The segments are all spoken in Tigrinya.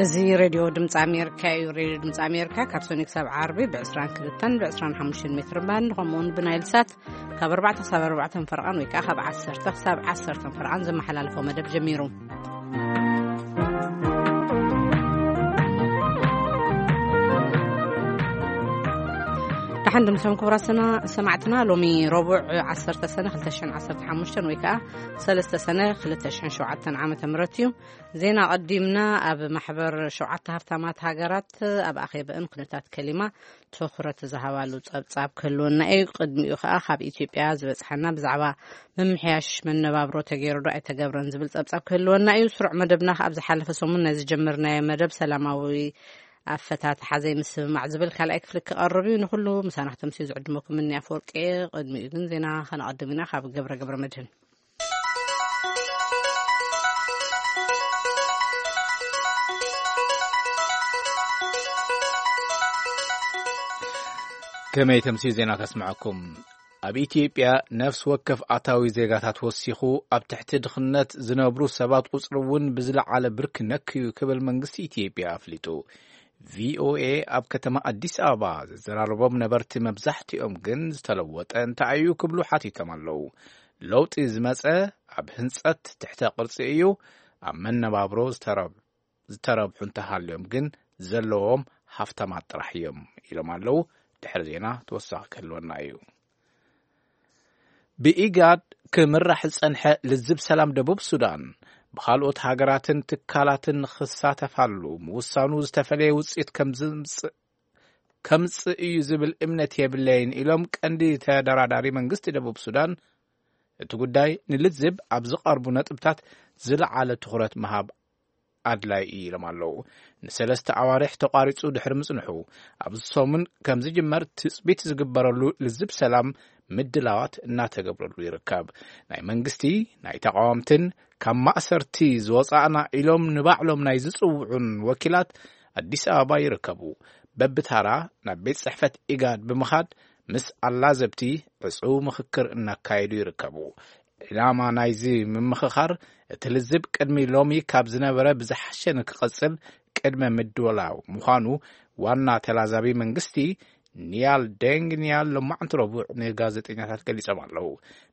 እዚ ሬድዮ ድምፂ ኣሜሪካ እዩ። ሬድዮ ድምፂ ኣሜሪካ ካብ ሰኒ ክሳብ ዓርቢ ብ22ን ብ25 ሜትር ባንድ፣ ከምኡውን ብናይል ሳት ካብ ኣርባዕተ ክሳብ ኣርባዕተ ፈርቓን ወይ ከዓ ካብ ዓሰርተ ክሳብ ዓሰርተ ፈርቓን ዘመሓላልፎ መደብ ጀሚሩ። ደሓን ድምሶም ክቡራት ሰና-፣ ሰማዕትና፣ ሎሚ ረቡዕ ዓሰርተ ሰነ ክልተ ሽሕን ዓሰርተ ሓሙሽተን ወይ ከዓ ሰለስተ ሰነ ክልተ ሽሕን ሸውዓተን ዓመተ ምህረት እዩ። ዜና ቀዲምና። ኣብ ማሕበር ሸውዓተ ሃብታማት ሃገራት ኣብ ኣኼበእን ኩነታት ከሊማ ትኹረት ዝሃባሉ ጸብጻብ ክህልወና እዩ። ቅድሚኡ ከኣ ካብ ኢትዮጵያ ዝበጽሓና ብዛዕባ ምምሕያሽ መነባብሮ ተገይሩ ዶ ኣይተገብረን ዝብል ጸብጻብ ክህልወና እዩ። ስሩዕ መደብና ከኣ ኣብ ዝሓለፈ ሰሙን ናይ ዝጀመርናዮ መደብ ሰላማዊ ኣፈታትሓ ዘይምስምማዕ ዝብል ካልኣይ ክፍሊ ክቐርብ እዩ። ንኹሉ ምሳና ክተምስዩ ዝዕድመኩም እኒ ኣፈወርቂ እየ። ቅድሚኡ ግን ዜና ከነቐድም ኢና ካብ ገብረ ገብረ መድህን። ከመይ ተምስዩ ዜና ከስምዐኩም። ኣብ ኢትዮጵያ ነፍሲ ወከፍ ኣታዊ ዜጋታት ወሲኹ ኣብ ትሕቲ ድኽነት ዝነብሩ ሰባት ቁጽሪ እውን ብዝለዓለ ብርኪ ነክዩ ክብል መንግስቲ ኢትዮጵያ ኣፍሊጡ። ቪኦኤ ኣብ ከተማ ኣዲስ ኣበባ ዘዘራረቦም ነበርቲ መብዛሕትኦም ግን ዝተለወጠ እንታይ እዩ ክብሉ ሓቲቶም ኣለዉ። ለውጢ ዝመጸ ኣብ ህንጸት ትሕተ ቅርጺ እዩ፣ ኣብ መነባብሮ ዝተረብ-፣ ዝተረብሑ እንተሃልዮም ግን ዘለዎም ሃፍታማት ጥራሕ እዮም ኢሎም ኣለዉ። ድሕሪ ዜና ተወሳኺ ክህልወና እዩ። ብኢጋድ ክምራሕ ዝጸንሐ ልዝብ ሰላም ደቡብ ሱዳን ብኻልኦት ሃገራትን ትካላትን ክሳተፋሉ ምውሳኑ ዝተፈለየ ውጽኢት ከም ዝምጽእ፣ ከምጽእ እዩ ዝብል እምነት የብለይን ኢሎም ቀንዲ ተደራዳሪ መንግስቲ ደቡብ ሱዳን። እቲ ጉዳይ ንልዝብ ኣብ ዝቐርቡ ነጥብታት ዝለዓለ ትኹረት ምሃብ ኣድላይ እዩ ኢሎም ኣለዉ። ንሰለስተ ኣዋርሕ ተቋሪጹ ድሕሪ ምጽንሑ፣ ኣብዚ ሰሙን ከም ዝጅመር ትጽቢት ዝግበረሉ ልዝብ ሰላም ምድላዋት እናተገብረሉ ይርከብ። ናይ መንግስቲ፣ ናይ ተቃወምትን ካብ ማእሰርቲ ዝወጻእና ኢሎም ንባዕሎም ናይ ዝጽውዑን ወኪላት ኣዲስ ኣበባ ይርከቡ። በብታራ ናብ ቤት ጽሕፈት ኢጋድ ብምኻድ ምስ ኣላዘብቲ ዕጹው ምኽክር እናካየዱ ይርከቡ። ዕላማ ናይዚ ምምኽኻር፣ እቲ ልዝብ ቅድሚ ሎሚ ካብ ዝነበረ ብዝሓሸ ንክቐጽል ቅድመ ምድላው ምዃኑ ዋና ተላዛቢ መንግስቲ ኒያል ደንግ ኒያል ሎማዕንቲ ረቡዕ ንጋዜጠኛታት ገሊጾም ኣለዉ።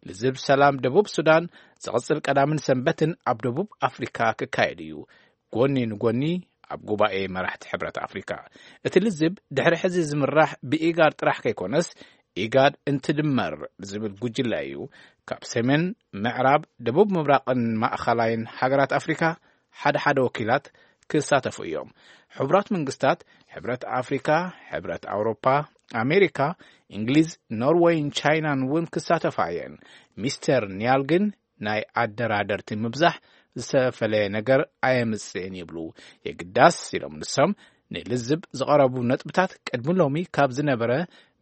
ልዝብ ሰላም ደቡብ ሱዳን ዝቕጽል ቀዳምን ሰንበትን ኣብ ደቡብ ኣፍሪካ ክካየድ እዩ። ጎኒ ንጎኒ ኣብ ጉባኤ መራሕቲ ሕብረት ኣፍሪካ። እቲ ልዝብ ድሕሪ ሕዚ ዝምራሕ ብኢጋድ ጥራሕ ከይኮነስ፣ ኢጋድ እንትድመር ብዝብል ጉጅለ እዩ። ካብ ሰሜን፣ ምዕራብ፣ ደቡብ ምብራቕን ማእኸላይን ሃገራት ኣፍሪካ ሓደ ሓደ ወኪላት ክሳተፉ እዮም። ሕቡራት መንግስታት፣ ሕብረት ኣፍሪካ፣ ሕብረት ኣውሮፓ፣ ኣሜሪካ፣ እንግሊዝ፣ ኖርወይን ቻይናን እውን ክሳተፋ እየን። ሚስተር ኒያል ግን ናይ ኣደራደርቲ ምብዛሕ ዝተፈለየ ነገር ኣየምጽእን ይብሉ። የግዳስ ኢሎም ንሶም፣ ንልዝብ ዝቐረቡ ነጥብታት ቅድሚ ሎሚ ካብ ዝነበረ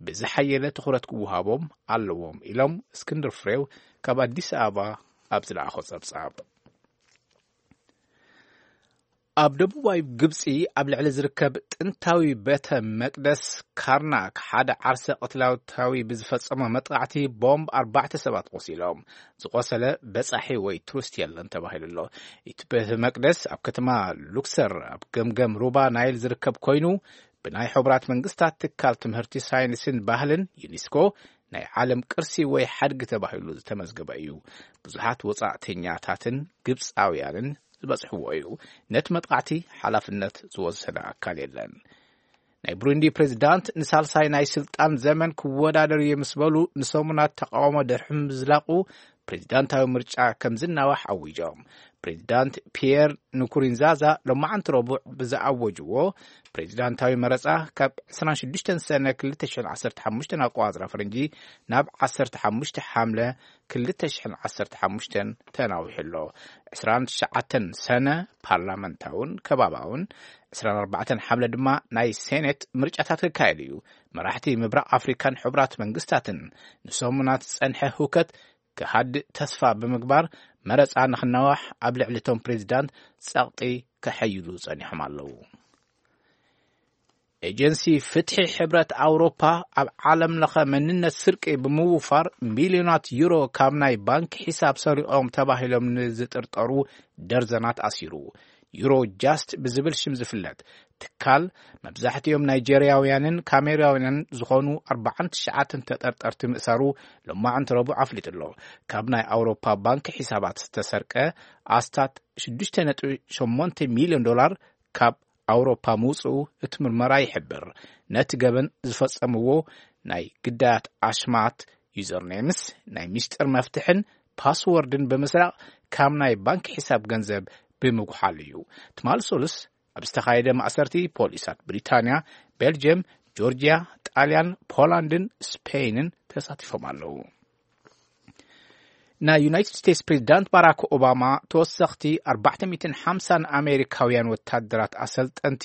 ብዝሓየለ ትኹረት ክወሃቦም ኣለዎም ኢሎም እስክንድር ፍሬው ካብ ኣዲስ ኣበባ ኣብ ዝለኣኾ ጸብጻብ። ኣብ ደቡባዊ ግብጺ ኣብ ልዕሊ ዝርከብ ጥንታዊ ቤተ መቅደስ ካርናክ ሓደ ዓርሰ ቅትላታዊ ብዝፈጸሞ መጥቃዕቲ ቦምብ ኣርባዕተ ሰባት ቆሲሎም። ዝቆሰለ በጻሒ ወይ ቱሪስት የለን ተባሂሉ ኣሎ። እቲ ቤተ መቅደስ ኣብ ከተማ ሉክሰር ኣብ ገምገም ሩባ ናይል ዝርከብ ኮይኑ፣ ብናይ ሕቡራት መንግስታት ትካል ትምህርቲ፣ ሳይንስን ባህልን፣ ዩኔስኮ፣ ናይ ዓለም ቅርሲ ወይ ሓድጊ ተባሂሉ ዝተመዝገበ እዩ። ብዙሓት ወጻእተኛታትን ግብጻውያንን ዝበጽሕዎ እዩ። ነቲ መጥቃዕቲ ሓላፍነት ዝወሰደ ኣካል የለን። ናይ ብሩንዲ ፕሬዚዳንት ንሳልሳይ ናይ ስልጣን ዘመን ክወዳደር እየ ምስ በሉ ንሰሙናት ተቃውሞ ድሕሪ ምዝላቑ፣ ፕሬዚዳንታዊ ምርጫ ከም ዝናዋሕ ኣዊጆም። ፕሬዚዳንት ፒየር ንኩሪንዛዛ ሎማዓንቲ ረቡዕ ብዝኣወጅዎ ፕሬዚዳንታዊ መረጻ፣ ካብ ዕስራን ሽዱሽተን ሰነ ክልተ ሽሕን ዓሰርተ ሓሙሽተን ኣቆጻጽራ ፈረንጂ ናብ ዓሰርተ ሓሙሽተ ሓምለ ክልተ ሽሕን ዓሰርተ ሓሙሽተን ተናዊሑ ኣሎ። ዕስራን ትሽዓተን ሰነ ፓርላመንታውን ከባባውን፣ ዕስራን ኣርባዕተን ሓምለ ድማ ናይ ሴኔት ምርጫታት ክካየድ እዩ። መራሕቲ ምብራቕ ኣፍሪካን ሕቡራት መንግስታትን ንሰሙናት ዝጸንሐ ህውከት ክሃድእ ተስፋ ብምግባር፣ መረጻ ንኽናዋሕ ኣብ ልዕሊ እቶም ፕሬዚዳንት ጸቕጢ ከሐይሉ ጸኒሖም ኣለዉ። ኤጀንሲ ፍትሒ ሕብረት ኣውሮፓ ኣብ ዓለም ለኸ መንነት ስርቂ ብምውፋር ሚልዮናት ዩሮ ካብ ናይ ባንክ ሒሳብ ሰሪቖም ተባሂሎም ንዝጥርጠሩ ደርዘናት ኣሲሩ። ዩሮ ጃስት ብዝብል ሽም ዝፍለጥ ትካል፣ መብዛሕትኦም ናይጀርያውያንን ካሜራውያንን ዝኾኑ ኣርባዓን ትሽዓተን ተጠርጠርቲ ምእሳሩ ሎማዕንቲ ረቡዕ ኣፍሊጡ ኣሎ። ካብ ናይ ኣውሮፓ ባንክ ሒሳባት ዝተሰርቀ ኣስታት ሽዱሽተ ነጥቢ ሸሞንተ ሚልዮን ዶላር ካብ ኣውሮፓ ምውፅኡ እቲ ምርመራ ይሕብር። ነቲ ገበን ዝፈጸምዎ ናይ ግዳያት ኣሽማት፣ ዩዘርኔምስ፣ ናይ ሚስጥር መፍትሕን ፓስወርድን ብምስራቕ ካብ ናይ ባንክ ሒሳብ ገንዘብ ብምጉሓል እዩ። ትማል ሶሉስ ኣብ ዝተኻየደ ማእሰርቲ ፖሊሳት ብሪታንያ፣ ቤልጅየም፣ ጆርጅያ፣ ጣልያን፣ ፖላንድን ስፔይንን ተሳቲፎም ኣለዉ። ናይ ዩናይትድ ስቴትስ ፕሬዚዳንት ባራክ ኦባማ ተወሰኽቲ ኣርባዕተ ሚእትን ሓምሳን ኣሜሪካውያን ወታደራት ኣሰልጠንቲ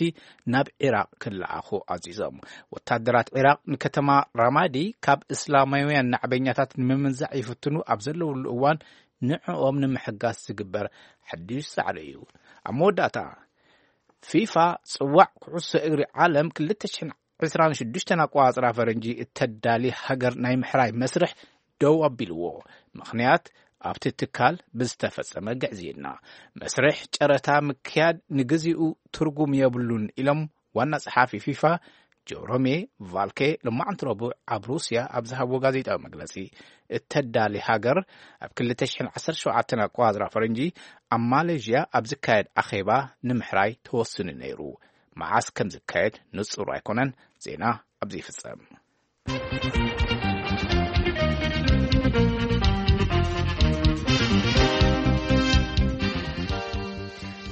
ናብ ዒራቕ ክለኣኹ ኣዚዞም። ወታደራት ዒራቕ ንከተማ ራማዲ ካብ እስላማውያን ናዕበኛታት ንምምንዛዕ ይፍትኑ ኣብ ዘለውሉ እዋን ንዕኦም ንምሕጋዝ ዝግበር ሓድሽ ጻዕሪ እዩ። ኣብ መወዳእታ ፊፋ ጽዋዕ ኩዕሶ እግሪ ዓለም ክልተ ሽሕን ዕስራን ሽዱሽተን ኣቆጻጽራ ፈረንጂ እተዳሊ ሃገር ናይ ምሕራይ መስርሕ ደው ኣቢልዎ። ምኽንያት ኣብቲ ትካል ብዝተፈጸመ ግዕዝይና። መስርሕ ጨረታ ምክያድ ንግዚኡ ትርጉም የብሉን ኢሎም ዋና ጸሓፊ ፊፋ ጆሮሜ ቫልኬ ሎማዕንቲ ረቡዕ ኣብ ሩስያ ኣብ ዝሃብዎ ጋዜጣዊ መግለጺ፣ እተዳሊ ሃገር ኣብ ክልተ ሽሕን ዓሰርተ ሸውዓተን ኣቆጻጽራ ፈረንጂ ኣብ ማሌዥያ ኣብ ዝካየድ ኣኼባ ንምሕራይ ተወስኑ ነይሩ። መዓስ ከም ዝካየድ ንጹር ኣይኮነን። ዜና ኣብዚ ይፍጸም።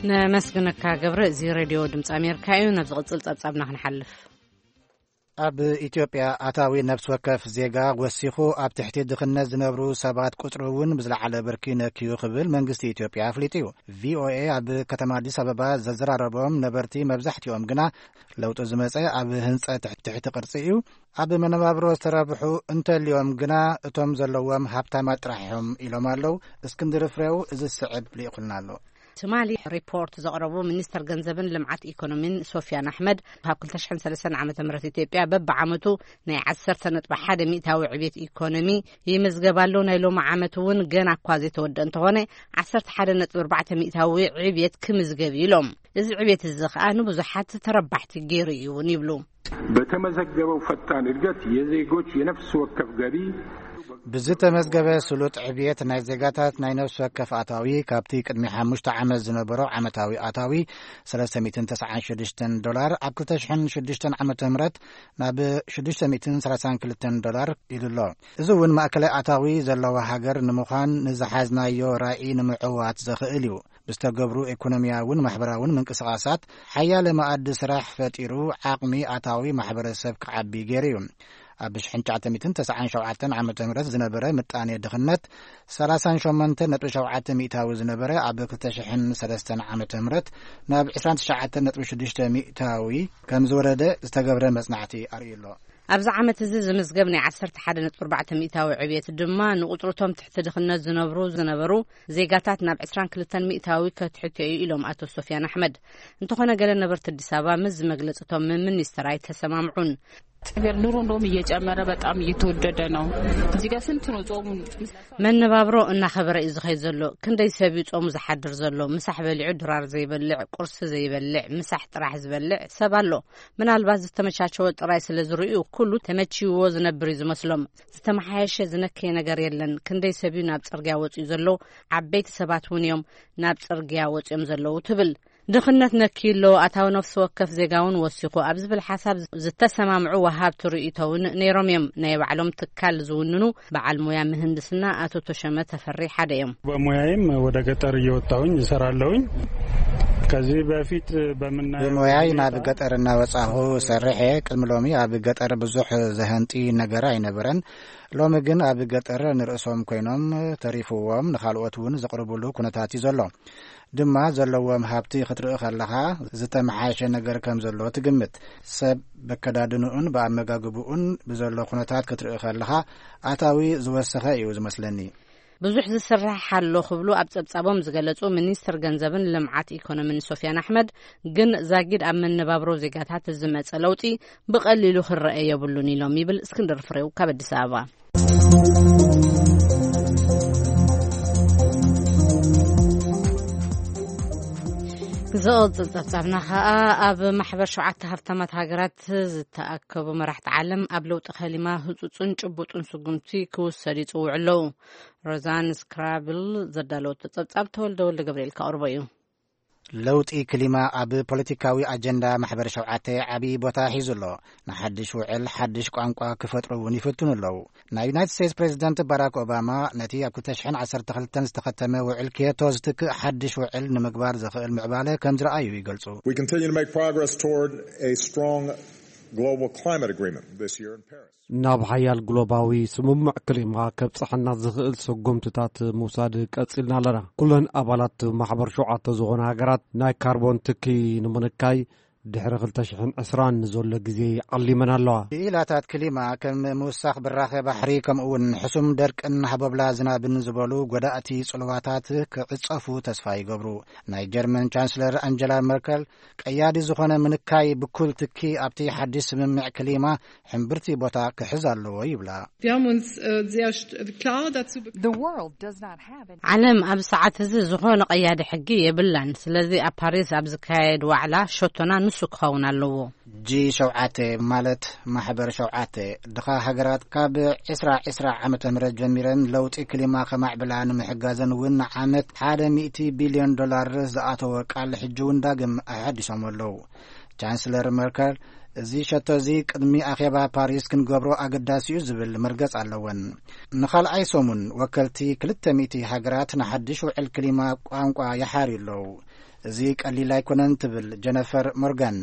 ነመስግነካ ገብረ። እዚ ሬድዮ ድምፂ ኣሜሪካ እዩ። ናብ ዝቕፅል ፀብፃብና ክንሓልፍ። ኣብ ኢትዮጵያ ኣታዊ ነፍሲ ወከፍ ዜጋ ወሲኹ ኣብ ትሕቲ ድኽነት ዝነብሩ ሰባት ቁፅሪ እውን ብዝለዓለ ብርኪ ነክዩ ክብል መንግስቲ ኢትዮጵያ ኣፍሊጡ እዩ። ቪኦኤ ኣብ ከተማ ኣዲስ ኣበባ ዘዘራረቦም ነበርቲ መብዛሕትኦም ግና ለውጢ ዝመፀ ኣብ ህንፀት ትሕቲ ቅርፂ እዩ። ኣብ መነባብሮ ዝተረብሑ እንተልዮም ግና እቶም ዘለዎም ሃብታማት ጥራሕ እዮም ኢሎም ኣለዉ። እስክንድር ፍሬው እዚ ዝስዕብ ልኢኹልና ኣሎ። ትማሊ ሪፖርት ዘቕረቡ ሚኒስተር ገንዘብን ልምዓት ኢኮኖሚን ሶፊያን ኣሕመድ፣ ካብ ክልተ ሽሕን ሰለስተን ዓመተ ምህረት ኢትዮጵያ በብዓመቱ ናይ ዓሰርተ ነጥቢ ሓደ ሚእታዊ ዕብየት ኢኮኖሚ ይምዝገብ ኣሎ። ናይ ሎሚ ዓመት እውን ገና እኳ ዘይተወደአ እንተኾነ፣ ዓሰርተ ሓደ ነጥቢ ኣርባዕተ ሚእታዊ ዕብየት ክምዝገብ እዩ ኢሎም። እዚ ዕብየት እዚ ኸኣ ንብዙሓት ተረባሕቲ ገይሩ እዩ እውን ይብሉ። በተመዘገበው ፈጣን እድገት የዜጎች የነፍስ ወከፍ ገቢ ብዝተመዝገበ ስሉጥ ዕብየት ናይ ዜጋታት ናይ ነፍሲ ወከፍ ኣታዊ ካብቲ ቅድሚ ሓሙሽተ ዓመት ዝነበሮ ዓመታዊ ኣታዊ ሰለስተ ሚእትን ተስዓን ሽዱሽተን ዶላር ኣብ ክልተ ሽሕን ሽዱሽተን ዓመተ ምህረት ናብ ሽዱሽተ ሚእትን ሰላሳን ክልተን ዶላር ኢሉ ኣሎ። እዚ እውን ማእከላይ ኣታዊ ዘለዋ ሃገር ንምዃን ንዝሓዝናዮ ራኢ ንምዕዋት ዘኽእል እዩ። ብዝተገብሩ ኢኮኖሚያውን ማሕበራውን ምንቅስቓሳት ሓያለ መኣዲ ስራሕ ፈጢሩ ዓቕሚ ኣታዊ ማሕበረሰብ ክዓቢ ገይሩ እዩ። ኣብ ሽሕን ትሽዓተ ሚእትን ተስዓን ሸውዓተን ዓመተ ምህረት ዝነበረ ምጣኔ ድኽነት ሰላሳን ሸሞንተን ነጥቢ ሸውዓተ ሚእታዊ ዝነበረ ኣብ ክልተ ሽሕን ሰለስተን ዓመተ ምህረት ናብ ዕስራን ትሽዓተን ነጥቢ ሽዱሽተ ሚእታዊ ከም ዝወረደ ዝተገብረ መጽናዕቲ ኣርእዩ ኣሎ። ኣብዚ ዓመት እዚ ዝምዝገብ ናይ ዓሰርተ ሓደ ነጥቢ ኣርባዕተ ሚእታዊ ዕብየት ድማ ንቁጽርቶም ትሕቲ ድኽነት ዝነብሩ ዝነበሩ ዜጋታት ናብ ዕስራን ክልተን ሚእታዊ ከትሕቶ እዩ ኢሎም ኣቶ ሶፊያን ኣሕመድ። እንተኾነ ገለ ነበርቲ ኣዲስ ኣበባ ምስዚ መግለጺ እቶም ሚኒስተር ኣይተሰማምዑን። ነገር ኑሮ እንደውም እየጨመረ በጣም እየተወደደ ነው። እዚህ ጋር ስንት ነው ጾሙ? መነባብሮ እናኸበረ እዩ ዝኸይድ ዘሎ። ክንደይ ሰብ እዩ ጾሙ ዝሓድር ዘሎ? ምሳሕ በሊዑ ድራር ዘይበልዕ፣ ቁርሲ ዘይበልዕ፣ ምሳሕ ጥራሕ ዝበልዕ ሰብ ኣሎ። ምናልባት ዝተመቻቸወ ጥራይ ስለ ዝርእዩ ኩሉ ተመችይዎ ዝነብር እዩ ዝመስሎም። ዝተመሓየሸ ዝነከየ ነገር የለን። ክንደይ ሰብ እዩ ናብ ጽርግያ ወጺኡ ዘሎ? ዓበይቲ ሰባት እውን እዮም ናብ ጽርግያ ወጺኦም ዘለዉ ትብል። ድኽነት ነክዩ ኣሎ፣ ኣታዊ ነፍሲ ወከፍ ዜጋ እውን ወሲኹ ኣብ ዝብል ሓሳብ ዝተሰማምዑ ወሃብቲ ርእይቶ እውን ነይሮም እዮም። ናይ ባዕሎም ትካል ዝውንኑ በዓል ሞያ ምህንድስና ኣቶ ተሸመ ተፈሪ ሓደ እዮም። በሙያዬም ወደ ገጠር እየወጣሁኝ እሰራለሁኝ። ከዚህ በፊት በምናየው ብሞያይ ሁኔታ ናብ ገጠር እናወጻኹ ሰርሐ፣ ቅድሚ ሎሚ ኣብ ገጠር ብዙሕ ዘህንጢ ነገር ኣይነበረን። ሎሚ ግን ኣብ ገጠር ንርእሶም ኮይኖም ተሪፍዎም ንኻልኦት እውን ዘቕርብሉ ኩነታት እዩ ዘሎ። ድማ ዘለዎም ሃብቲ ክትርኢ ከለኻ ዝተመሓየሸ ነገር ከም ዘሎ ትግምት። ሰብ በከዳድንኡን ብኣመጋግብኡን ብዘሎ ኩነታት ክትርኢ ከለኻ ኣታዊ ዝወሰኸ እዩ ዝመስለኒ። ብዙሕ ዝስራሕ ኣሎ ክብሉ ኣብ ጸብጻቦም ዝገለጹ ሚኒስትር ገንዘብን ልምዓት ኢኮኖሚን ሶፊያን ኣሕመድ ግን ዛጊድ ኣብ መነባብሮ ዜጋታት ዝመጸ ለውጢ ብቐሊሉ ክረአ የብሉን ኢሎም ይብል እስክንድር ፍሬው ካብ ኣዲስ ኣበባ። ዝቕጽል ጸብጻብና ኸኣ ኣብ ማሕበር ሸውዓተ ሃብታማት ሃገራት ዝተኣከቡ መራሕቲ ዓለም ኣብ ለውጢ ከሊማ ህጹጽን ጭቡጥን ስጉምቲ ክውሰድ ይጽውዑ ኣለዉ። ሮዛን ስክራብል ዘዳለወቶ ጸብጻብ ተወልደ ወልደ ገብርኤል ከቕርቦ እዩ። ለውጢ ክሊማ ኣብ ፖለቲካዊ ኣጀንዳ ማሕበር ሸውዓተ ዓቢ ቦታ ሒዙ ኣሎ። ንሓድሽ ውዕል ሓድሽ ቋንቋ ክፈጥሩ እውን ይፍትኑ ኣለዉ። ናይ ዩናይትድ ስቴትስ ፕሬዚደንት ባራክ ኦባማ ነቲ ኣብ ክልተ ሽሕን ዓሰርተ ክልተን ዝተኸተመ ውዕል ኪዮቶ ዝትክእ ሓድሽ ውዕል ንምግባር ዘኽእል ምዕባለ ከም ዝረኣዩ ይገልጹ። We continue to make progress toward a strong global climate agreement this year in Paris. ናብ ሓያል ግሎባዊ ስምምዕ ክሊማ ከብጽሐና ዝኽእል ስጉምትታት ምውሳድ ቀጺልና ኣለና። ኩለን ኣባላት ማሕበር ሸውዓተ ዝኾና ሃገራት ናይ ካርቦን ትኪ ንምንካይ ድሕሪ ክልተ ሽሕን ዕስራን ንዘሎ ግዜ ዓሊመን ኣለዋ። ክኢላታት ክሊማ ከም ምውሳኽ ብራኸ ባሕሪ ከምኡ እውን ሕሱም ደርቅን ሃቦብላ ዝናብን ዝበሉ ጎዳእቲ ጽልዋታት ክዕጸፉ ተስፋ ይገብሩ። ናይ ጀርመን ቻንስለር ኣንጀላ መርከል ቀያዲ ዝኾነ ምንካይ ብኩል ትኪ ኣብቲ ሓድሽ ስምምዕ ክሊማ ሕምብርቲ ቦታ ክሕዝ ኣለዎ ይብላ። Wir haben uns äh, sehr st- klar dazu be- The world does not have any ዓለም ኣብ ሰዓት እዚ ዝኾነ ቀያዲ ሕጊ የብላን። ስለዚ ኣብ ፓሪስ ኣብ ዝካየድ ዋዕላ ሸቶና ንሱ ክኸውን ኣለዎ። ጂ ሸውዓተ ማለት ማሕበር ሸውዓተ ድኻ ሃገራት ካብ ዕስራ ዕስራ ዓመተ ምህረት ጀሚረን ለውጢ ክሊማ ከማዕብላ ንምሕጋዘን እውን ንዓመት ሓደ ሚእቲ ቢልዮን ዶላር ዝኣተወ ቃል ሕጂ እውን ዳግም ኣሓዲሶም ኣለዉ። ቻንስለር መርከል እዚ ሸቶ እዚ ቅድሚ ኣኼባ ፓሪስ ክንገብሮ ኣገዳሲ እዩ ዝብል መርገጽ ኣለወን። ንኻልኣይ ሰሙን ወከልቲ ክልተ ሚእቲ ሃገራት ንሓድሽ ውዕል ክሊማ ቋንቋ ይሓርዩ ኣለዉ። እዚ ቀሊል ኣይኮነን ትብል ጀነፈር ሞርጋን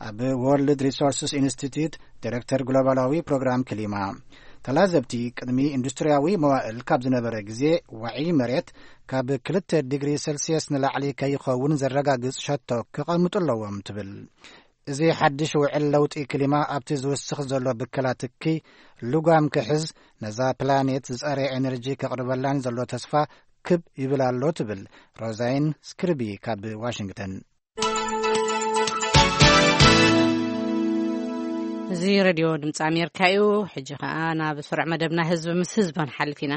ኣብ ወርልድ ሪሶርስስ ኢንስቲትዩት ዲሬክተር ግሎባላዊ ፕሮግራም ክሊማ። ተላዘብቲ ቅድሚ ኢንዱስትሪያዊ መዋእል ካብ ዝነበረ ግዜ ዋዒ መሬት ካብ ክልተ ዲግሪ ሴልሲየስ ንላዕሊ ከይኸውን ዘረጋግጽ ሸቶ ክቐምጡ ኣለዎም ትብል። እዚ ሓድሽ ውዕል ለውጢ ክሊማ ኣብቲ ዝውስኽ ዘሎ ብከላ ትኪ ልጓም ክሕዝ ነዛ ፕላኔት ዝጸረ ኤነርጂ ከቕርበላን ዘሎ ተስፋ ክብ ይብል ኣሎ ትብል ሮዛይን ስክርቢ ካብ ዋሽንግተን። እዚ ሬድዮ ድምፂ ኣሜሪካ እዩ። ሕጂ ኸኣ ናብ ስሩዕ መደብና ህዝቢ ምስ ህዝቢ ክንሓልፍ ኢና።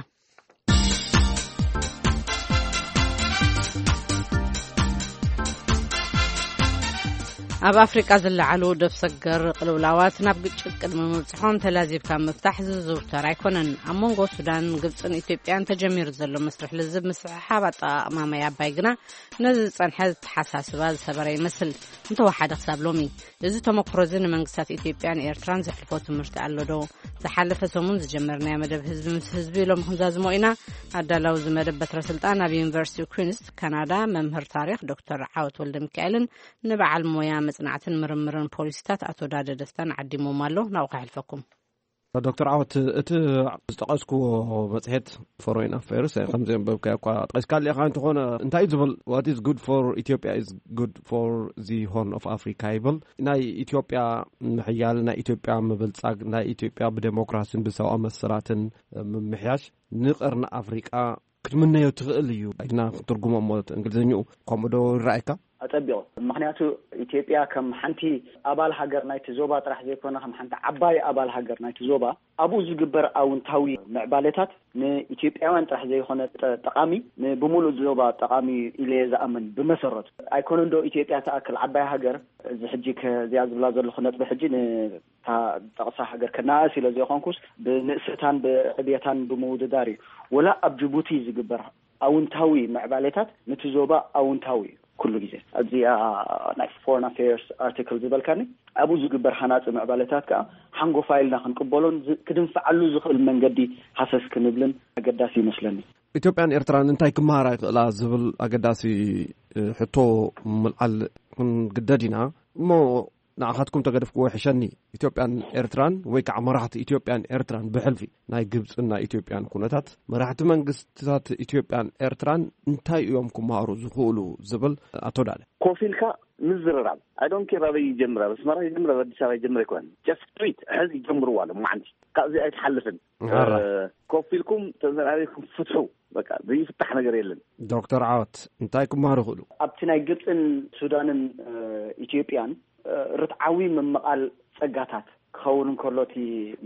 ኣብ ኣፍሪቃ ዝለዓሉ ደብ ሰገር ቅልውላዋት ናብ ግጭት ቅድሚ ምብጽሖም ተላዚብካ ምፍታሕ ዝዝውተር ኣይኮነን። ኣብ መንጎ ሱዳን፣ ግብጽን ኢትዮጵያን ተጀሚሩ ዘሎ መስርሕ ልዝብ ምስሕሓብ ኣጠቓቕማ ማይ ኣባይ ግና ነዚ ዝጸንሐ ዝተሓሳስባ ዝሰበረ ይመስል። እንተወሓደ ክሳብ ሎሚ። እዚ ተመክሮ እዚ ንመንግስታት ኢትዮጵያን ኤርትራን ዘሕልፎ ትምህርቲ ኣሎ ዶ? ዝሓለፈ ሰሙን ዝጀመርናዮ መደብ ህዝቢ ምስ ህዝቢ ሎሚ ክንዛዝሞ ኢና። ኣዳላዊ እዚ መደብ በትረ ስልጣን ኣብ ዩኒቨርሲቲ ኩንስ ካናዳ መምህር ታሪኽ ዶክተር ዓወት ወልደ ሚካኤልን ንበዓል ሞያ መጽናዕትን ምርምርን ፖሊሲታት ኣቶ ዳደ ደስታን ዓዲሞም ኣሎ። ናብኡ ከሕልፈኩም። ዶክተር ዓወት፣ እቲ ዝጠቐስክዎ መጽሔት ፎሬን ኣፌርስ ከም ዘንበብካዮ እኳ ጠቒስካሉ ኢኻ። እንተኾነ እንታይ እዩ ዝብል? What is good for Ethiopia is good for the Horn of Africa ይብል። ናይ ኢትዮጵያ ምሕያል፣ ናይ ኢትዮጵያ ምብልጻግ፣ ናይ ኢትዮጵያ ብዴሞክራሲን ብሰብኣዊ መሰላትን ምምሕያሽ ንቐርኒ ኣፍሪቃ ክትምነዮ ትኽእል እዩ ኢልና ክትርጉሞ እሞ እንግሊዝኛኡ ከምኡ ዶ ይረኣየካ? ኣጸቢቑ። ምኽንያቱ ኢትዮጵያ ከም ሓንቲ ኣባል ሃገር ናይቲ ዞባ ጥራሕ ዘይኮነ፣ ከም ሓንቲ ዓባይ ኣባል ሃገር ናይቲ ዞባ፣ ኣብኡ ዝግበር ኣውንታዊ ምዕባለታት ንኢትዮጵያውያን ጥራሕ ዘይኮነ ጠ-፣ ጠቓሚ፣ ንብሙሉእ ዞባ ጠቓሚ ኢለ እየ ዝኣምን። ብመሰረቱ ኣይኮነን ዶ ኢትዮጵያ ትኣክል ዓባይ ሃገር፣ እዚ ሕጂ ከ-፣ እዚኣ ዝብላ ዘለኹ ነጥቢ ሕጂ ን-፣ እታ ጠቕሳ ሃገር ከነኣእስ ኢለ ዘይኮንኩስ፣ ብንእሰታን ብዕብየታን ብምውድዳር እዩ። ወላ ኣብ ጅቡቲ ዝግበር ኣውንታዊ ምዕባሌታት ነቲ ዞባ ኣውንታዊ እዩ ኩሉ ግዜ። ኣብዚኣ ናይ ፎረን ኣፌርስ ኣርቲክል ዝበልካኒ፣ ኣብኡ ዝግበር ሃናጺ ምዕባሌታት ከኣ ሓንጎፋይ ኢልና ክንቅበሎን ዝ-፣ ክድንፍዓሉ ዝኽእል መንገዲ ሃሰስ ክንብልን ኣገዳሲ ይመስለኒ። ኢትዮጵያን ኤርትራን እንታይ ክመሃራ ይኽእላ ዝብል ኣገዳሲ፣ እ፣ ሕቶ ምልዓል ክንግደድ ኢና። እሞ ንዓኻትኩም ተገደፍክዎ ይሕሸኒ። ኢትዮጵያን ኤርትራን ወይ ከዓ መራሕቲ ኢትዮጵያን ኤርትራን ብሕልፊ ናይ ግብፅን ናይ ኢትዮጵያን ኩነታት መራሕቲ መንግስትታት ኢትዮጵያን ኤርትራን እንታይ እዮም ክመሃሩ ዝኽእሉ ዝብል ኣቶ ዳነ። ኮፍ ኢልካ ምዝርራብ። I don't care ኣበይ ይጀምር፣ ኣብ ኣስመራ ይጀምር፣ ኣብ ኣዲስ ኣበባ ይጀምር ኣይኮነን። Just do it። ሕዚ ይጀምርዋ ሎም መዓንቲ። ካብዚ ኣይትሓልፍን። ኣራ። እ፣ ኮፍ ኢልኩም ተዘራሪብኩም ፍትሑ። በቃ ዘይፍታሕ ነገር የለን። ዶክተር ዓወት እንታይ ክመሃሩ ይኽእሉ? ኣብቲ ናይ ግብፅን ሱዳንን፣ እ፣ ኢትዮጵያን፣ እ፣ ርትዓዊ ምምቓል ጸጋታት ክኸውን እንከሎ፣ እቲ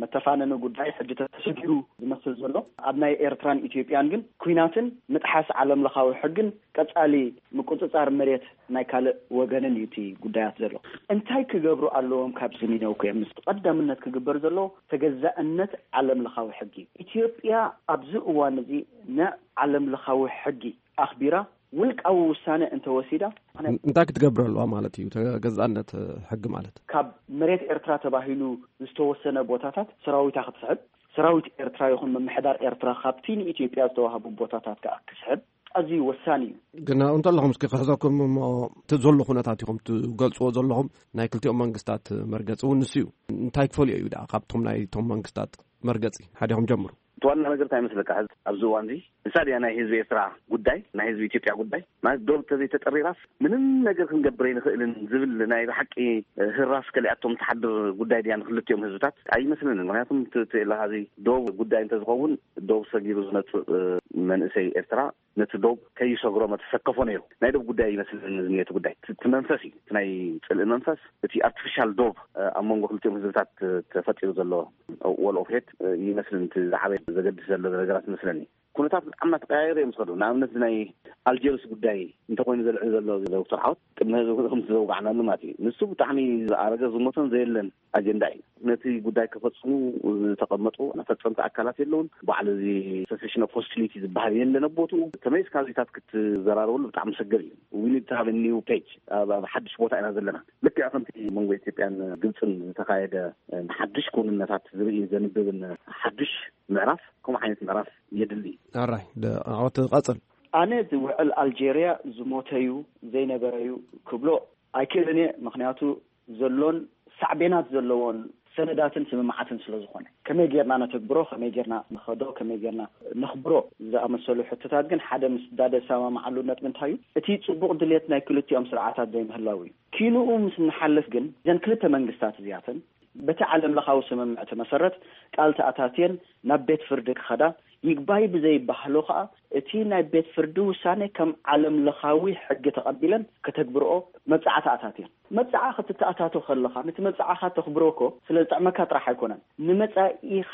መተፋነኒ ጉዳይ ሕጂ ተሰጊሩ ዝመስል ዘሎ፣ ኣብ ናይ ኤርትራን ኢትዮጵያን ግን ኲናትን ምጥሓስ ዓለም ለኻዊ ሕግን ቀጻሊ ምቁጽጻር መሬት ናይ ካልእ ወገንን እዩ እቲ ጉዳያት ዘሎ። እንታይ ክገብሩ ኣለዎም? ካብ ዝሚነው ኮ ምስ ቀዳምነት ክግበር ዘለዎ ተገዛእነት ዓለም ለኻዊ ሕጊ። ኢትዮጵያ ኣብዚ እዋን እዚ ንዓለም ለኻዊ ሕጊ ኣኽቢራ ውልቃዊ ውሳነ እንተወሲዳ፣ እንታይ ክትገብር ኣለዋ ማለት እዩ? ተገዛእነት ሕጊ ማለት ካብ መሬት ኤርትራ ተባሂሉ ዝተወሰነ ቦታታት ሰራዊታ ክትስሕብ፣ ሰራዊት ኤርትራ ይኹን ምምሕዳር ኤርትራ ካብቲ ንኢትዮጵያ ዝተዋህቡ ቦታታት ከዓ ክስሕብ ኣዝዩ ወሳኒ እዩ። ግን እንተለኹም እስኪ ክሕዘኩም እሞ፣ እቲ ዘሎ ኩነታት ኢኹም ትገልጽዎ ዘለኹም፣ ናይ ክልቲኦም መንግስታት መርገጺ እውን ንሱ እዩ። እንታይ ክፈልዮ እዩ ደኣ ካብቶም ናይቶም መንግስታት መርገጺ? ሓዲኹም ጀምሩ። እቲ ዋና ነገር እንታይ ይመስለካ? ሕዚ ኣብዚ እዋን እዚ ንሳ ድያ ናይ ህዝቢ ኤርትራ ጉዳይ፣ ናይ ህዝቢ ኢትዮጵያ ጉዳይ? ማለት ዶብ ተዘይተጠሪራስ ምንም ነገር ክንገብር ኣይንኽእልን ዝብል ናይ ብሓቂ ህራስ ከሊኣቶም ትሓድር ጉዳይ ድያ ንክልቲኦም ህዝብታት? ኣይመስለንን። ምክንያቱም እቲ እቲ ኢልካ እዚ ዶብ ጉዳይ እንተዝኸውን፣ ዶብ ሰጊሩ ዝመጽእ መንእሰይ ኤርትራ ነቲ ዶብ ከይሰግሮ መተሰከፎ ነይሩ። ናይ ዶብ ጉዳይ ይመስለኒ ዝኒኦ እቲ ጉዳይ። እቲ እቲ መንፈስ እዩ፣ እቲ ናይ ጽልኢ መንፈስ፣ እቲ ኣርቲፊሻል ዶብ ኣብ መንጎ ክልቲኦም ህዝብታት ተፈጢሩ ዘሎ ወል ኦፍ ሄት ይመስለኒ እቲ ዝዓበየ ዘገድስ ዘሎ ነገራት ይመስለኒ። ኩነታት ብጣዕሚ እናተቀያየሩ እዮም ዝኸዱ። ንኣብነት ናይ ኣልጀርስ ጉዳይ እንተኮይኑ ዘልዕል ዘሎ ዶክተር ሓወት ቅድሚ ህዝቢ ከምቲ ዘውጋዕናሉ ማለት እዩ። ንሱ ብጣዕሚ ዝኣረገ ዝሞተን ዘየለን ኣጀንዳ እዩ። ነቲ ጉዳይ ከፈጽሙ ዝተቐመጡ ፈጸምቲ ኣካላት የለውን። ባዕሉ እዚ ሰሴሽን ኦፍ ሆስቲሊቲ ዝበሃል የለን ኣብ ቦትኡ። ተመሊስካ እዚታት ክትዘራረበሉ ብጣዕሚ መሰገር እዩ። We need to have a new page። ኣብ ኣብ ሓድሽ ቦታ ኢና ዘለና። ልክዕ ከምቲ መንጎ ኢትዮጵያን ግብፅን ዝተኻየደ ሓድሽ ክውንነታት ዝርኢ ዘንብብን ሓድሽ ምዕራፍ ከምኡ ዓይነት ምዕራፍ የድሊ። ኣራይ ዓወት ቀፅል። ኣነ ዝውዕል ኣልጀርያ ዝሞተዩ ዘይነበረዩ ክብሎ ኣይክእልን እየ። ምክንያቱ ዘሎን ሳዕቤናት ዘለዎን ሰነዳትን ስምምዓትን ስለ ዝኾነ፣ ከመይ ጌርና ነተግብሮ፣ ከመይ ጌርና ንኸዶ፣ ከመይ ጌርና ነኽብሮ ዝኣመሰሉ ሕቶታት ግን ሓደ ምስ ዳደ ዝሰማምዓሉ ነጥቢ እንታይ እዩ? እቲ ጽቡቕ ድሌት ናይ ክልቲኦም ስርዓታት ዘይምህላው እዩ። ኪንኡ ምስ እንሓልፍ ግን እዘን ክልተ መንግስታት እዚኣተን በቲ ዓለም ለኻዊ ስምምዕቲ መሰረት ቃል ተኣታትየን ናብ ቤት ፍርዲ ክኸዳ፣ ይግባይ ብዘይባህሎ ከኣ እቲ ናይ ቤት ፍርዲ ውሳኔ ከም ዓለም ለኻዊ ሕጊ ተቐቢለን ከተግብርኦ መብጽዓ ተኣታትየን። መብጽዓ ክትተኣታቶ ከለኻ፣ ነቲ መብጽዓኻ ተኽብሮ እኮ ስለ ዝጥዕመካ ጥራሕ ኣይኮነን። ንመጻኢኻ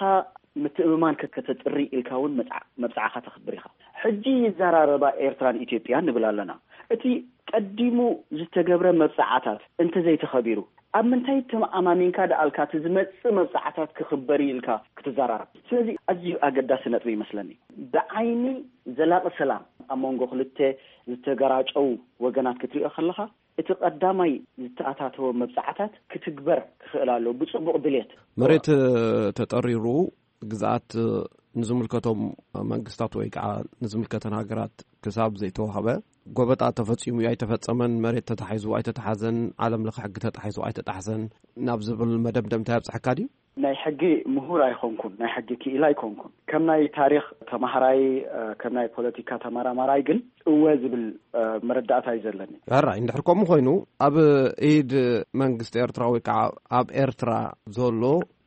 ምትእምማን ከ-፣ ከተጥሪ ኢልካ እውን መብጽዓ-፣ መብጽዓኻ ተኽብር ኢኻ። ሕጂ ይዘራረባ ኤርትራን ኢትዮጵያን ንብል ኣለና። እቲ ቀዲሙ ዝተገብረ መብጽዓታት እንተዘይተኸቢሩ፣ ኣብ ምንታይ ተመኣማሚንካ ደኣልካ እቲ ዝመጽእ መብጽዓታት ክኽበር እዩ ኢልካ ክትዘራረብ? ስለዚ ኣዝዩ ኣገዳሲ ነጥቢ ይመስለኒ። ብዓይኒ ዘላቒ ሰላም ኣብ መንጎ ክልተ ዝተገራጨው ወገናት ክትሪኦ ከለኻ፣ እቲ ቀዳማይ ዝተኣታተወ መብጽዓታት ክትግበር ክኽእል ኣለዎ፣ ብጽቡቕ ድሌት። መሬት ተጠሪሩ ግዝኣት ንዝምልከቶም መንግስታት ወይ ከዓ ንዝምልከተን ሃገራት ክሳብ ዘይተዋህበ፣ ጎበጣ ተፈጺሙ ኣይተፈጸመን፣ መሬት ተታሒዙ ኣይተታሓዘን፣ ዓለም ለኸ ሕጊ ተጣሒሱ ኣይተጣሕሰን ናብ ዝብል መደምደምታ የብጽሐካ ድዩ? ናይ ሕጊ ምሁር ኣይኮንኩን፣ ናይ ሕጊ ክኢላ ኣይኮንኩን። ከም ናይ ታሪኽ ተማሃራይ፣ እ፣ ከም ናይ ፖለቲካ ተመራማራይ ግን እወ ዝብል፣ እ፣ መረዳእታ እዩ ዘለኒ። ሕራይ፣ እንድሕር ከምኡ ኮይኑ፣ ኣብ ኢድ መንግስቲ ኤርትራ ወይ ከዓ ኣብ ኤርትራ ዘሎ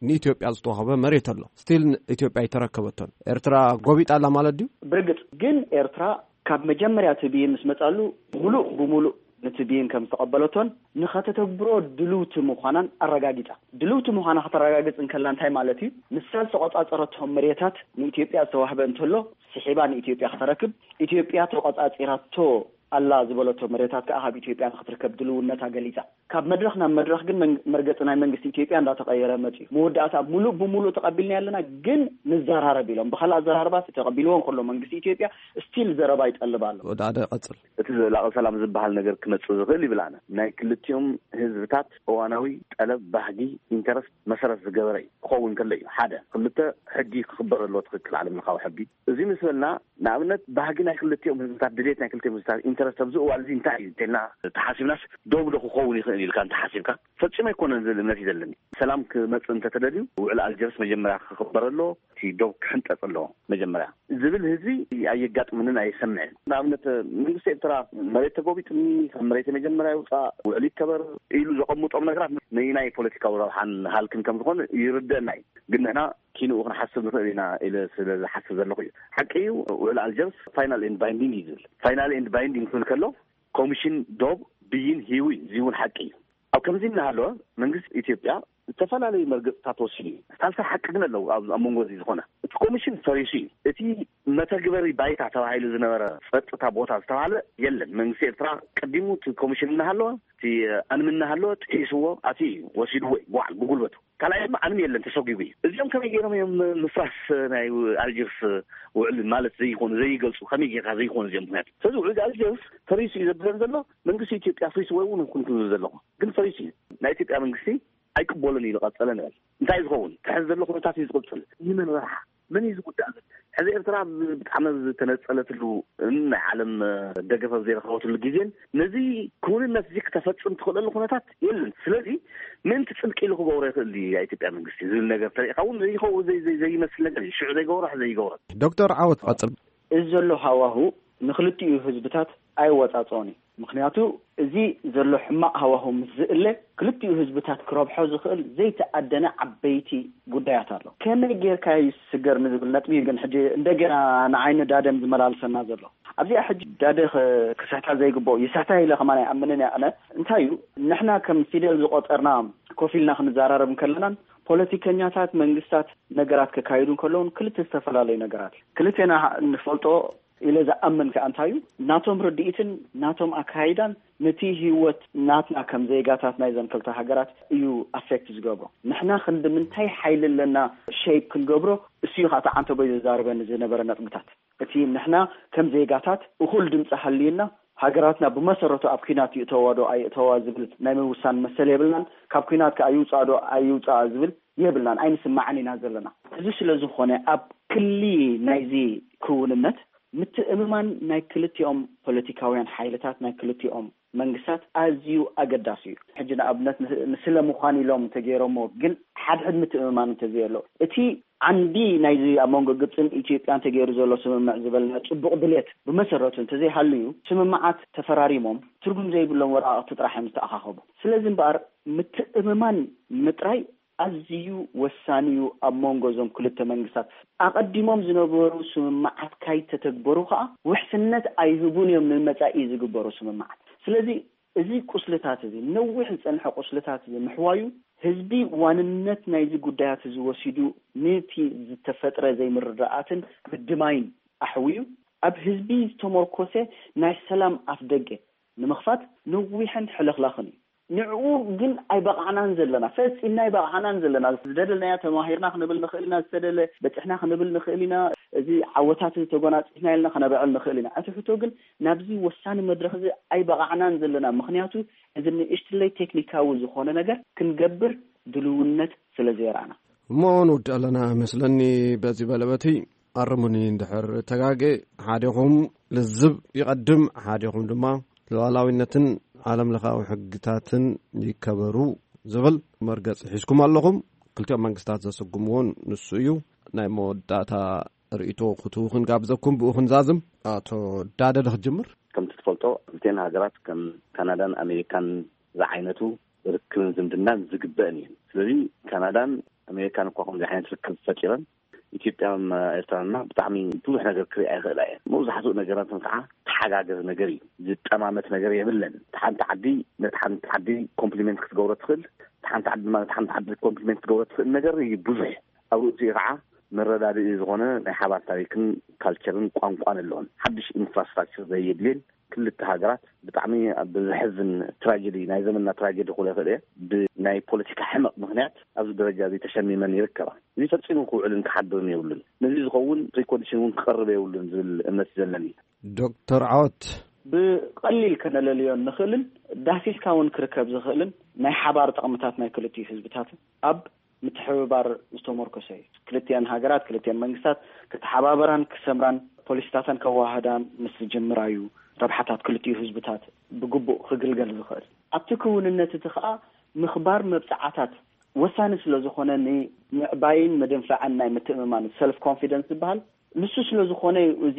ንኢትዮጵያ ዝተዋህበ መሬት ኣሎ። ስቲል ኢትዮጵያ ኣይተረከበቶን። ኤርትራ ጎቢጣ ኣላ ማለት ድዩ? ብርግጽ ግን ኤርትራ ካብ መጀመርያ እቲ ብይን ምስ መጻሉ፣ ሙሉእ ብሙሉእ ነቲ ብይን ከም ዝተቐበለቶን ንኸተተግብሮ ድልውቲ ምዃናን ኣረጋጊጻ። ድልውቲ ምዃና ከተረጋግጽ እንከላ እንታይ ማለት እዩ? ንሳ ዝተቖጻጸረቶም መሬታት ንኢትዮጵያ ዝተዋህበ እንተሎ፣ ስሒባ ንኢትዮጵያ ከተረክብ፣ ኢትዮጵያ ተቖጻጺራቶ ኣላ ዝበለቶ መሬታት ከኣ ካብ ኢትዮጵያ ንኽትርከብ ድልውነታ ገሊጻ። ካብ መድረኽ ናብ መድረኽ ግን መን-፣ መርገጺ ናይ መንግስቲ ኢትዮጵያ እንዳተቐየረ መጺኡ። መወዳእታ ሙሉእ ብሙሉእ ተቐቢልናዮ ኣለና፣ ግን ንዘራረብ ኢሎም። ብኻልእ ኣዘራርባ፣ ተቐቢልዎ እንከሎ መንግስቲ ኢትዮጵያ፣ ስቲል ዘረባ ይጠልብ ኣሎ። ወደ ሓደ ቀጽል። እቲ ዘላቒ ሰላም ዝበሃል ነገር ክመጽእ ዝኽእል ይብል ኣነ፣ ናይ ክልቲኦም ህዝብታት እዋናዊ ጠለብ፣ ባህጊ፣ ኢንተረስት መሰረት ዝገበረ እዩ ክኸውን ከሎ እዩ። ሓደ። ክልተ፣ ሕጊ ክኽበር ኣለዎ፣ ትኽክል፣ ዓለም ለኻዊ ሕጊ። እዚ ምስ በልና፣ ንኣብነት፣ ባህጊ ናይ ክልቲኦም ህዝብታት፣ ድሌት ናይ ክልቲኦም ህዝብታት፣ ኢንተረስት ኣብዚ እዋን እዚ እንታይ እዩ እንተልና ተሓሲብናስ፣ ዶብ ዶ ክኸውን ይኽእል ኢልካ እንተሓሲብካ፣ ፈጺሙ ኣይኮነን ዝብል እምነት እዩ ዘለኒ። ሰላም ክመጽእ እንተተደልዩ፣ ውዕል ኣልጀርስ መጀመርያ ክኽበር ኣለዎ፣ እቲ ዶብ ክሕንጠጽ ኣለዎ መጀመርያ ዝብል ህዝቢ ኣየጋጥምንን ኣየሰምዕን። ንኣብነት፣ መንግስቲ ኤርትራ፣ መሬት ተጎቢጡኒ፣ ካብ መሬት መጀመርያ ይውጻእ፣ ውዕል ይከበር ኢሉ ዘቐምጦም ነገራት ነናይ ፖለቲካዊ ረብሓን ሃልክን ከም ዝኾነ ይርደአና እዩ። ግን ንሕና ኪንኡ ክንሓስብ ንኽእል ኢና ኢለ ስለ ዝሓስብ ዘለኹ እዩ። ሓቂ እዩ፣ ውዕል ኣልጀርስ ፋይናል ኤንድ ባይንዲንግ እዩ ዝብል። ፋይናል ኤንድ ባይንዲንግ ክብል ከሎ፣ ኮሚሽን ዶብ ብይን ሂቡ እዩ። እዚ እውን ሓቂ እዩ። ኣብ ከምዚ እናሃለወ፣ መንግስቲ ኢትዮጵያ ዝተፈላለዩ መርገፅታት ወሲዱ እዩ። ሳልሳይ ሓቂ ግን ኣለዉ ኣብ ኣብ መንጎ እዚ ዝኾነ እቲ ኮሚሽን ፈሪሱ እዩ። እቲ መተግበሪ ባይታ ተባሂሉ ዝነበረ ጸጥታ ቦታ ዝተባህለ የለን። መንግስቲ ኤርትራ ቀዲሙ እቲ ኮሚሽን እናሃለወ እቲ ኣንም እናሃለወ ጥሒስዎ ኣትዩ እዩ ወሲድዎ እዩ ብባዕሉ ብጉልበቱ። ካልኣይ ድማ ኣንም የለን ተሰጒጉ እዩ። እዚኦም ከመይ ገይሮም እዮም ምፍራስ ናይ ኣልጀርስ ውዕል ማለት ዘይኮኑ ዘይገልጹ ከመይ ጌርካ ዘይኮኑ እዚኦም ምክንያቱ ስለዚ ውዕል ኣልጀርስ ፈሪሱ እዩ ዘብለን ዘሎ መንግስቲ ኢትዮጵያ ኣፍሪስዎ እውን ይኹን ክብል ዘለኹ ግን ፈሪሱ እዩ ናይ ኢትዮጵያ መንግስቲ ኣይቅበሉን እዩ ዝቐጸለ ንበል እንታይ ዝኸውን ትሕዚ ዘሎ ኩነታት እዩ ዝቕጽል ንመን ረብሓ መን እዩ ዝጉዳእ ሕዚ ኤርትራ ብጣዕሚ ዝተነጸለትሉ ናይ ዓለም ደገፈ ዘይረኸበትሉ ግዜን ነዚ ክውንነት እዚ ክተፈጽም ትኽእለሉ ኩነታት የለን ስለዚ ምእንቲ ጽድቂ ኢሉ ክገብሮ ይኽእል ድዩ ኢትዮጵያ መንግስቲ ዝብል ነገር ተሪእኻ እውን ዘይኸውን ዘይመስል ነገር እዩ ሽዑ ዘይገብሮ ዘይገብሮ ዶክተር ዓወት ቀጽል እዚ ዘሎ ሃዋሁ ንክልቲኡ ህዝብታት ኣይወጻጸኦን እዩ። ምኽንያቱ እዚ ዘሎ ሕማቕ ሃዋሁ ምስ ዝእለ ክልቲኡ ህዝብታት ክረብሖ ዝኽእል ዘይተኣደነ ዓበይቲ ጉዳያት ኣሎ። ከመይ ጌርካ ይስገር ንዝብል ነጥቢ እዩ ግን ሕጂ እንደገና ንዓይ ንዳደን ዝመላልሰና ዘሎ። ኣብዚኣ ሕጂ ዳደ ክስሕታ ዘይግብኦ ይስሕታ ኢለ ከማን ኣይኣምንን እየ ኣነ። እንታይ እዩ ንሕና ከም ፊደል ዝቆጸርና ኮፍ ኢልና ክንዘራረብ እንከለናን ፖለቲከኛታት መንግስታት ነገራት ከካይዱ እንከለውን ክልተ ዝተፈላለዩ ነገራት እዩ። ክልቴና ንፈልጦ ኢለ ዝኣምን ከኣ እንታይ እዩ ናቶም ርድኢትን ናቶም ኣካይዳን ነቲ ህይወት ናትና ከም ዜጋታት ናይዘን ክልተ ሃገራት እዩ ኣፌክት ዝገብሮ። ንሕና ክንዲ ምንታይ ሓይሊ ኣለና ሸይፕ ክንገብሮ እሱ እዩ ከዓ ተዓንተቦይ ዘዛርበኒ ዝነበረ ነጥብታት። እቲ ንሕና ከም ዜጋታት እኹል ድምፂ ሃልዩና ሃገራትና ብመሰረቱ ኣብ ኲናት ይእተዋ ዶ ኣይእተዋ ዝብል ናይ ምውሳን መሰል የብልናን። ካብ ኲናት ከዓ ይውፃእ ዶ ኣይውፃእ ዝብል የብልናን፣ ኣይንስማዕን ኢና ዘለና። እዚ ስለ ዝኾነ ኣብ ክሊ ናይዚ ክውንነት ምትእምማን ናይ ክልቲኦም ፖለቲካውያን ሓይልታት ናይ ክልቲኦም መንግስታት ኣዝዩ ኣገዳሲ እዩ። ሕጂ ንኣብነት ንስለ ምዃን ኢሎም እንተገይሮሞ ግን ሓድሕድ ምትእምማን እንተዘየሎ እቲ ዓንዲ ናይዚ ኣብ መንጎ ግብፅን ኢትዮጵያን ተገይሩ ዘሎ ስምምዕ ዝበልና ፅቡቕ ድሌት ብመሰረቱ እንተዘይሃልዩ ስምምዓት ተፈራሪሞም ትርጉም ዘይብሎም ወረቓቕቲ ጥራሕ እዮም ዝተኣኻኸቡ። ስለዚ እምበኣር ምትእምማን ምጥራይ ኣዝዩ ወሳኒ እዩ ኣብ መንጎ እዞም ክልተ መንግስታት። ኣቐዲሞም ዝነበሩ ስምምዓት ካይተተግበሩ ከኣ ውሕስነት ኣይህቡን እዮም ንመጻኢ ዝግበሩ ስምምዓት። ስለዚ እዚ ቁስልታት እዚ ነዊሕ ዝጸንሐ ቁስልታት እዚ ምሕዋዩ ህዝቢ ዋንነት ናይዚ ጉዳያት እዚ ወሲዱ ነቲ ዝተፈጥረ ዘይምርድኣትን ምድማይን ኣሕውዩ ኣብ ህዝቢ ዝተመርኮሰ ናይ ሰላም ኣፍደገ ንምኽፋት ነዊሕን ሕልኽላኽን እዩ። ንዕኡ ግን ኣይበቓዕናን ዘለና፣ ፈጺምና ኣይበቓዕናን ዘለና። ዝደለናያ ተማሂርና ክንብል ንኽእል ኢና፣ ዝተደለ በጺሕና ክንብል ንኽእል ኢና። እዚ ዓወታት እዚ ተጎናጺፍና ኢልና ክነብዕል ንኽእል ኢና። እቲ ሕቶ ግን ናብዚ ወሳኒ መድረኽ እዚ ኣይበቓዕናን ዘለና። ምኽንያቱ እዚ ንእሽትለይ ቴክኒካዊ ዝኾነ ነገር ክንገብር ድልውነት ስለ ዘየርኣና። እሞ ንውድእ ኣለና መስለኒ በዚ በለበቲ ኣርሙኒ እንድሕር ተጋጌ፣ ሓዲኹም ልዝብ ይቐድም፣ ሓዲኹም ድማ ሉዓላዊነትን ዓለም ለኻዊ ሕግታትን ይከበሩ ዝብል መርገጺ ሒዝኩም ኣለኹም። ክልቲኦም መንግስታት ዘስጉምዎን ንሱ እዩ። ናይ መወዳእታ ርእይቶ ክትህቡ ክንጋብዘኩም ብኡ ክንዛዝም። ኣቶ ዳደ ዶ ክጅምር? ከምቲ ትፈልጦ ክልቲኤን ሃገራት ከም ካናዳን ኣሜሪካን ዝዓይነቱ ርክብን ዝምድናን ዝግበእን እየን። ስለዚ ካናዳን ኣሜሪካን እኳ ከምዚ ዓይነት ርክብ ፈጢረን ኢትዮጵያን ኤርትራን ብጣዕሚ ብዙሕ ነገር ክሪኣ ይኽእላ እየን። መብዛሕትኡ ነገራተን ከዓ ተሓጋገዝ ነገር እዩ። ዝጠማመት ነገር የብለን። እታ ሓንቲ ዓዲ ነታ ሓንቲ ዓዲ ኮምፕሊመንት ክትገብሮ ትኽእል፣ እታ ሓንቲ ዓዲ ድማ ነታ ሓንቲ ዓዲ ኮምፕሊመንት ክትገብሮ ትኽእል ነገር እዩ ብዙሕ። ኣብ ርእሲኡ ከዓ መረዳድኢ ዝኾነ ናይ ሓባር ታሪክን ካልቸርን ቋንቋን ኣለዎን። ሓድሽ ኢንፍራስትራክቸር ዘየድልየን ክልተ ሃገራት ብጣዕሚ ኣብ ዘሕዝን ትራጀዲ ናይ ዘመንና ትራጀዲ ክብሎ ይኽእል እየ። ብናይ ፖለቲካ ሕመቕ ምኽንያት ኣብዚ ደረጃ እዚ ተሸሚመን ይርከባ። እዚ ፈጺሙ ክውዕልን ክሓድርን የብሉን። ነዚ ዝኸውን ፕሪኮንዲሽን እውን ክቐርብ የብሉን ዝብል እምነት እዩ ዘለኒ። ዶክተር ዓወት ብቐሊል ከነለልዮ እንኽእልን ዳህሲስካ እውን ክርከብ ዝኽእልን ናይ ሓባር ጥቕምታት ናይ ክልቲኡ ህዝብታት ኣብ ምትሕብባር ዝተመርኮሰ እዩ። ክልቲኤን ሃገራት፣ ክልቲኤን መንግስታት ክተሓባበራን ክሰምራን ፖሊሲታተን ከወሃህዳን ምስ ዝጅምራ እዩ ረብሓታት ክልቲኡ ህዝብታት ብግቡእ ክግልገል ዝኽእል። ኣብቲ ክውንነት እቲ ከኣ ምኽባር መብጽዓታት ወሳኒ ስለ ዝኾነ ንምዕባይን ምድንፋዕን ናይ ምትእምማን ሰልፍ ኮንፊደንስ ዝበሃል ንሱ ስለ ዝኾነ እዩ እዚ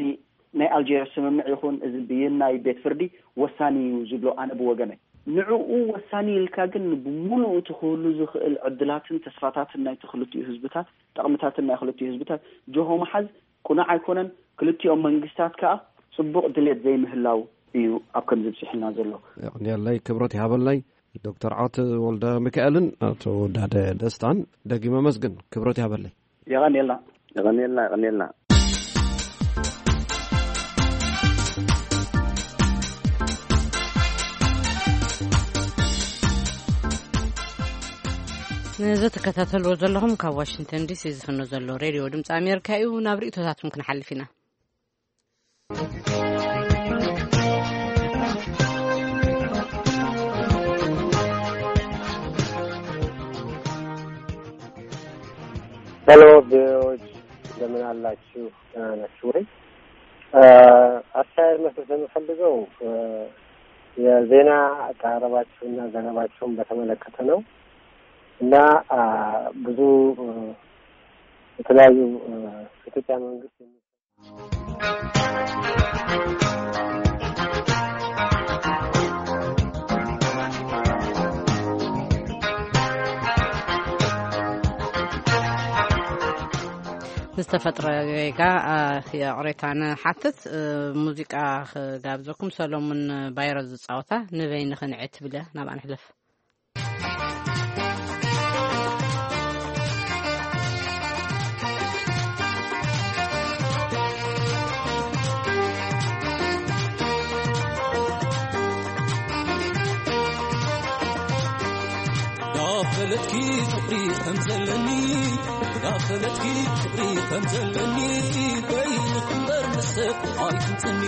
ናይ ኣልጀርስ ስምምዕ ይኹን እዚ ብይን ናይ ቤት ፍርዲ ወሳኒ እዩ ዝብሎ ኣነ ብወገነይ። ንዕኡ ወሳኒ ኢልካ ግን ብሙሉኡ እቲ ክህሉ ዝኽእል ዕድላትን ተስፋታትን ናይቲ ክልቲኡ ህዝብታት፣ ጠቕምታትን ናይ ክልቲኡ ህዝብታት ጆሆ ምሓዝ ቅኑዕ ኣይኮነን። ክልቲኦም መንግስታት ከኣ ጽቡቕ ድሌት ዘይምህላው እዩ ኣብ ከምዚ ብጺሑና ዘሎ። የቕንየለይ፣ ክብረት ይሃበለይ። ዶክተር ዓወት ወልደ ሚካኤልን ኣቶ ውዳደ ደስታን ደጊመ መስግን፣ ክብረት ያበለይ። የቐንየልና። የቐንየልና፣ የቐንየልና። ንዝትከታተልዎ ዘለኹም ካብ ዋሽንግተን ዲሲ ዝፍኖ ዘሎ ሬድዮ ድምፂ ኣሜሪካ እዩ። ናብ ርእይቶታትኩም ክንሓልፍ ኢና። ሄሎ ቪኦኤዎች፣ እንደምን አላችሁ? ደህና ናችሁ ወይ? እ፣ አስተያየት መስጠት የምፈልገው፣ እ፣ የዜና አቀራረባችሁና ዘገባችሁን በተመለከተ ነው። እና፣ አ፣ ብዙ፣ እ፣ የተለያዩ፣ እ፣ ኢትዮጵያ መንግስት ዝተፈጥረ ጌጋ፣ አ፣ ይቕሬታ ንሓትት። እ፣ ሙዚቃ ክጋብዘኩም፣ ሰሎሙን ባይሮ ዝጻወታ ንበይንኺ ንዒ ትብል እያ። ናብኣ ንሕለፍ። ዳፈለትኪ ፍቕሪ ከም ዘለኒ፣ ዳፈለትኪ ፍቕሪ ከም ዘለኒ፣ በይንኺ እምበር ምስ ሰብ ኣይትንጽኒ።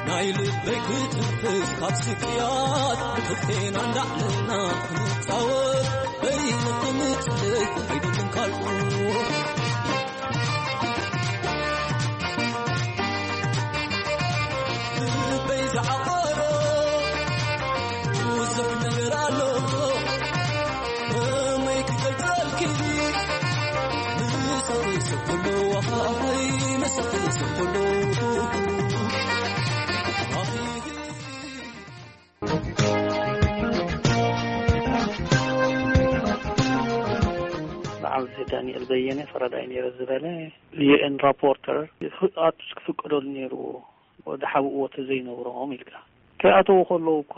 ናይ ልበይ ክትንፍስ ካብ ስቅያት፣ ብክልቴና እንዳዕለልና ክንጻወት፣ በይንኺ ምጽለይ ኣይደልን ካልኡ። ልበይ ዝዓቆሮ ብዙሕ ነገር ኣሎ፣ ከመይ ክገልጸልኪ? ምሳኺ ሰብ ኩሉ፣ ኣይ፣ ምሳኺ ሰብ ኩሉ። ንዓም ዳንኤል በየነ ፈረዳይ ነይረ ዝበለ ዩ ኤን ራፖርተር ኣቱስ ክፍቀደሉ ነይርዎ፣ ወዲ ሓብእዎ ተዘይነብሮም ኢልካ። ከይኣተዉ ከለዉ እኳ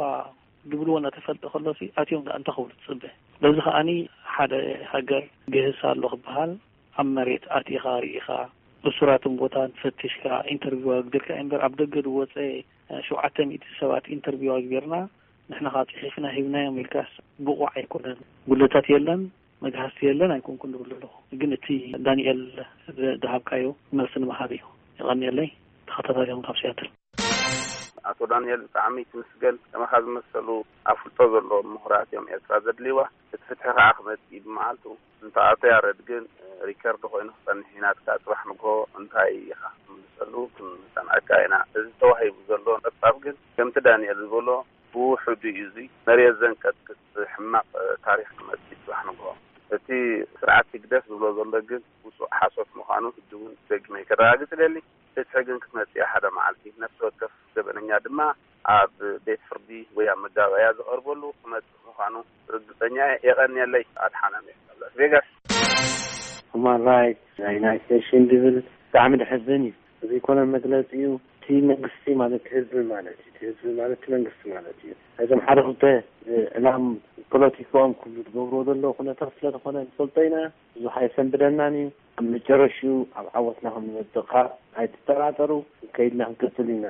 ድብልዎ እናተፈልጠ ከሎሲ ኣትዮም ደኣ እንታይ ክብሉ ትጽበ? በዚ ከኣኒ ሓደ ሃገር ግህስ ኣሎ ክበሃል፣ ኣብ መሬት ኣቲኻ ርኢኻ፣ እሱራትን ቦታን ፈቲሽካ፣ ኢንተርቪው ኣግቢርካ እምበር፣ ኣብ ደገ ዝወጸ ሸውዓተ ሚእቲ ሰባት ኢንተርቪው ኣግቢርና፣ ንሕና ከኣ ጽሒፍና ሂብናዮም ኢልካስ ብቑዕ ኣይኮነን። ጉድለታት የለን፣ መግሃስቲ የለን ኣይኮንኩን ዝብል ዘለኹ። ግን እቲ ዳንኤል ዝ-፣ ዝሃብካዮ መልሲ ንምሃብ እዩ። የቐንየለይ። ተኸታታሊኹም ካብ ሲያትል። ኣቶ ዳንኤል፣ ብጣዕሚ ትምስገን። ከማኻ ዝመሰሉ ኣፍልጦ ዘለዎም ምሁራት እዮም ኤርትራ ዘድልይዋ። እቲ ፍትሒ ከኣ ክመጽእ እዩ ብመዓልቱ። እንተ ኣቶ ያረድ ግን ሪከርድ ኮይኑ ክጸንሕ እዩ ናትካ። ጽባሕ ንግሆ እንታይ ኢኻ ክትምልሰሉ ክንሰምዐካ ኢና። እዚ ተዋሂቡ ዘሎ ጸብጻብ ግን ከምቲ ዳንኤል ዝበሎ ብውሑዱ እዩ። እዚ መሬት ዘንቀጥቅጥ ሕማቕ ታሪኽ ክመጽእ እዩ ጽባሕ ንግሆ። እቲ ስርዓት ህግደፍ ዝብሎ ዘሎ ግን ውጹእ ሓሶት ምዃኑ ሕጂ እውን ደጊመ ከረጋግጽ እደሊ። ፍትሒ ግን ክትመጽእ እያ ሓደ መዓልቲ። ነፍሲ ወከፍ ገበነኛ ድማ ኣብ ቤት ፍርዲ ወይ ኣብ መጋባእያ ዝቐርበሉ ክመጽእ ምዃኑ ርግጸኛ እየ። የቐንየለይ። ኣድሓኖም እየ ካብ ላስ ቬጋስ። ሁማን ራይትስ ናይ ዩናይትድ ኔሽን ዝብል ብጣዕሚ ደሕዝን እዩ። እዚ ኮነ መግለጺ እዩ። እቲ መንግስቲ ማለት ህዝቢ ማለት እዩ። እቲ ህዝቢ ማለት እቲ መንግስቲ ማለት እዩ። እዞም ሓደ ክልተ፣ እ፣ ዕላም ፖለቲካኦም ክብሉ ዝገብርዎ ዘለዉ ኩነታት ስለ ዝኾነ ንፈልጦ ኢና። ብዙሕ ኣየሰንብደናን እዩ። ኣብ መጨረሽኡ ኣብ ዓወትና ከም ንመጽእ ከኣ ኣይትጠራጠሩ። ከይድና ክንቅጽል ኢና።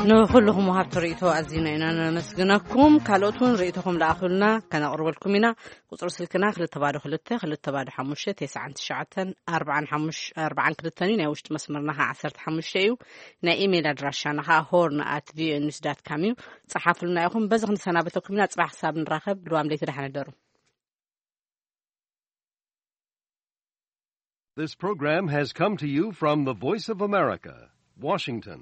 ንኹልኹም ወሃብቲ ርእይቶ ኣዚና ኢና ነመስግነኩም። ካልኦት እውን ርእይቶኹም ለኣኹልና፣ ከነቕርበልኩም ኢና። ቁጽሪ ስልክና ክልተ ባዶ ክልተ፣ ክልተ ባዶ ሓሙሽተ፣ ተስዓን ትሽዓተን፣ ኣርባዓን ሓሙሽተ፣ ኣርባዓን ክልተን እዩ። ናይ ውሽጢ መስመርና ኸዓ ዓሰርተ ሓሙሽተ እዩ። ናይ ኢሜይል ኣድራሻና ኸዓ ሆርን ኣት ቪኦኤ ኒውስ ዳት ካም እዩ። ጸሓፉልና ኢኹም። በዚ ክንሰናበተኩም ኢና። ጽባሕ ክሳብ ንራኸብ፣ ልዋም ለይቲ ደሓን እደሩ። This program has come to you from the Voice of America, Washington.